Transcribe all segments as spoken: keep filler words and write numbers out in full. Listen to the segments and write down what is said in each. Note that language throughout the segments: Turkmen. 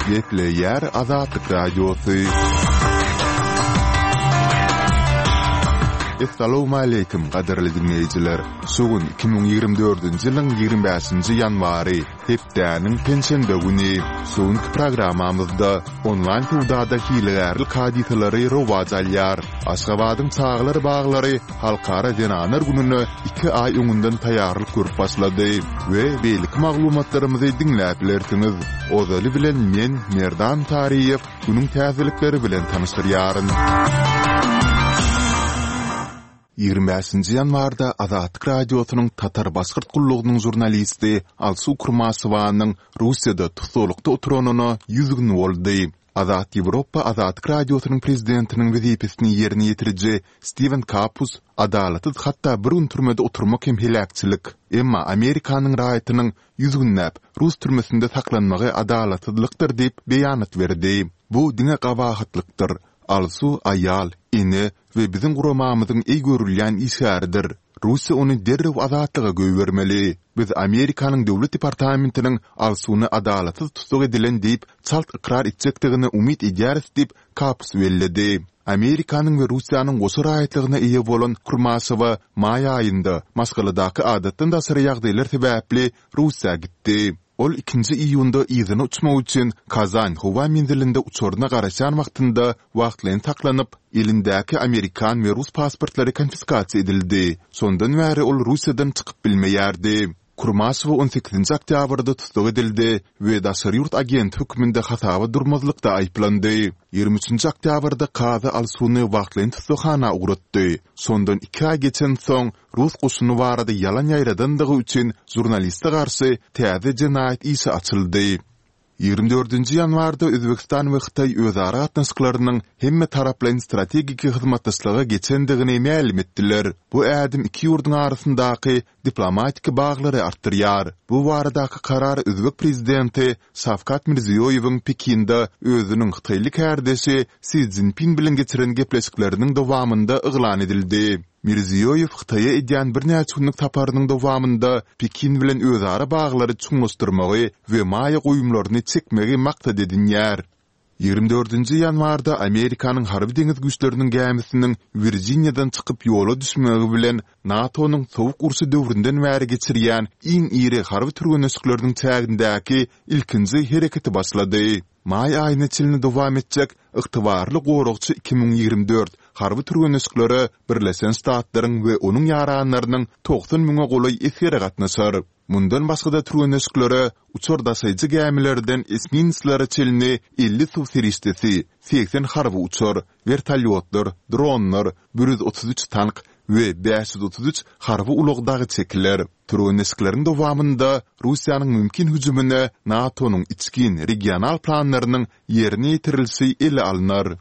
Gepleýär Azatlyk Radiosy. Essalawmaleýkim, gadyrly diňleýjiler! Şu gün iki müň ýigrimi dördünji ýylyň ýigrimi bäşinji ýanwary, hepdäniň penşenbe güni. Şu günki programmamyzda onlaýn söwdada hilegärlik hadysalary rowaç alýar. Aşgabadyň çagalar baglary Halkara zenanlar gününe iki aý öňünden taýýarlyk görüp başlady we beýleki maglumatlarymyzy diňläp bilersiňiz. Ozaly bilen men, Merdan Taryýew, günüň täzelikleri bilen tanyşdyrýaryn. Ýigrimi bäşinji ýanwarda Azatlyk Radiosynyň Tatar-Başgyrt gullugynyň žurnalisti Alsu Kurmaşewanyň Russiýada tussaglykda oturanyna ýüz gün boldy. Azat Ýewropa Azatlyk Radiosynyň prezidentiniň wezipesini ýerine ýetiriji Stiwen Kapus, Adalatsyz hatda bir gün türmede oturmak hem heläkçilik. Emma Amerikanyň raýatynyň ýüz günläp rus türmesinde saklanmagy adalatsyzlykdyr diýip beýanat berdi. Bu diňe gabahatlykdyr. Alsu aýal, ene we biziň guramamyzyň eý görülýän işgäridir. Russiýa ony derrew azatlyga goýbermeli. Biz Amerikanyň Döwlet departamentiniň Alsuny adalatsyz tussag edilen diýip çalt ykrar etjekdigine umyt edýäris diýip, Kapus belledi. Amerikanyň we Russiýanyň goşa raýatlygyna eýe bolan Kurmaşewa maý aýynda maşgaladaky adatdan daşary ýagdaýlar sebäpli Russiýa gitdi. Ol ikinji iýunda yzyna uçmak üçin Kazan howa menzilinde uçaryna garaşýan wagtynda wagtlaýyn saklanyp, elindäki amerikan we rus pasportlary konfiskasiýa edildi. Şondan bäri ol Russiýadan çykyp bilmeýärdi. Kurmaşewa on sekizinji oktýabrda tussag edildi we daşary ýurt agenti hökmünde hasaba durmazlykda aýyplandy. Ýigrimi üçünji oktýabrda kazy Alsuny wagtlaýyn tussaghana ugratdy. Şondan iki aý geçensoň, rus goşuny barada ýalan ýaýradandygy üçin žurnaliste garşy täze jenaýat işi açyldy. Ýigrimi dördünji ýanwarda Özbegistan we Hytaý özara gatnaşyklarynyň hemmetaraplaýyn strategik hyzmatdaşlyga geçendigini mälim etdiler. Bu ädim iki ýurduň arasyndaky diplomatik baglary artdyrýar. Bu baradaky karar özbek prezidenti Şawkat Mirziýoýewiň Pekinde özüniň hytaýly kärdeşi Si Szinpin bilen geçiren gepleşikleriniň dowamynda yglan edildi. Mirziýoýew Hytaýa edýän birnäçe günlük saparynyň dowamynda Pekin bilen özara baglary çuňlaşdyrmagy we maýa goýumlaryny çekmegi maksat edinýär. Ýigrimi dördünji ýanwarda Amerikanyň Harby-deňiz güýçleriniň gämisiniň Wirjiniýadan çykyp ýola düşmegi bilen NATO-nyň Sowuk urşy döwründen bäri geçirýän iň iri harby türgenleşikleriniň çägindäki ilkinji hereketi başlady. Maý aýyna çenli dowam etjek Ygtybarly goragçy iki müň ýigrimi dört harby türgenleşiklere Birleşen Ştatlaryň we onuň ýaranlarynyň togsan müňe golaý esgeri gatnaşar. Mundan başga-da türgenleşiklere uçar daşaýjy gämilerden esminslere çenli elli suw serişdesi, segsen harby uçar, wertolýotlar, dronlar, bir ýüz otuz üç tank we bäş ýüz otuz üç harby ulag dagy çekiler. Türgenleşikleriň dowamynda Russiýanyň mümkin hüjümine NATO-nyň içgin regional planlarynyň ýerine ýetirilişi ele alnar.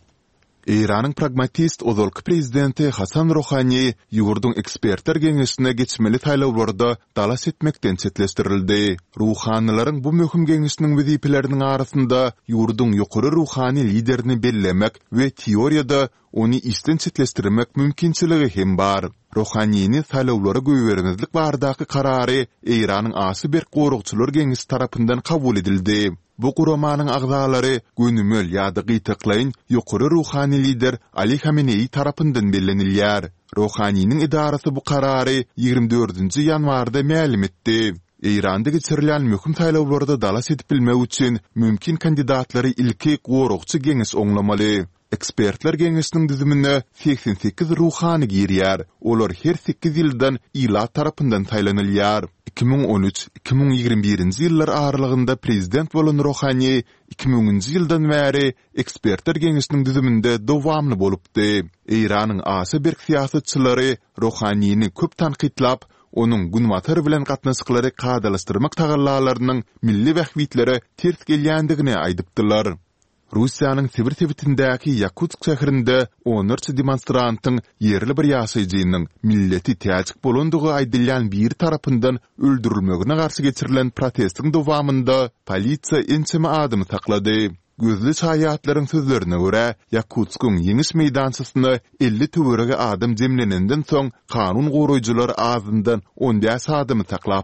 Eýranyň pragmatist ozalky prezidenti Hasan Rohani ýurduň ekspertler geňeşine geçmeli saýlawlarda dalaş etmekden çetleşdirildi. Ruhanylaryň bu möhüm geňeşiniň wezipeleriniň arasynda ýurduň ýokary ruhany liderini bellemek we teoriýada ony işden çetleşdirmek mümkinçiligi hem bar. Rohanini saýlawlara goýbermezlik baradaky karary Eýranyň aşa berk goragçylar geňeşi tarapyndan kabul edildi. Bu guramanyň agzalary gönümel ýa-da gytaklaýyn ýokary ruhany lider Ali Hameneýi tarapyndan bellenilýär. Rohaniniň edarasy bu karary ýigrimi dördünji ýanwarda mälim etdi. Eýranda geçirilýän möhüm saýlawlarda dalaş edip bilmek üçin mümkin kandidatlary ilki goragçy geňeş oňlamaly. Ekspertler geňeşiniň düzümine segsen sekiz ruhany girýär, olar her sekiz ýyldan ilat tarapyndan saýlanylýar. Iki müň on üç, iki müň ýigrimi birinji ýyllar aralygynda prezident bolan Rohani iki müňünji ýyldan bäri Ekspertler geňeşiniň düzüminde dowamly bolupdy. Eýranyň aşa berk syýasatçylary Rohanini köp tankytlap, onuň Günbatar bilen gatnaşyklary kadalaşdyrmak tagallalarynyň milli bähbitlere ters gelýändigini aýdypdylar. Russiýanyň Sibir sebitindäki Ýakutsk şäherinde onlarça demonstrantyň ýerli bir ýaşaýjynyň milleti täjik bolandygy aýdylýan biri tarapyndan öldürilmegine garşy geçirilen protestiň dowamynda polisiýa ençeme adamy saklady. Gözli şaýatlaryň sözlerine görä, Ýakutskyň Ýeňiş meýdançasyna elli töweregi adam jemlenenden soň kanun goraýjylar azyndan on bäş adamy saklapdyr.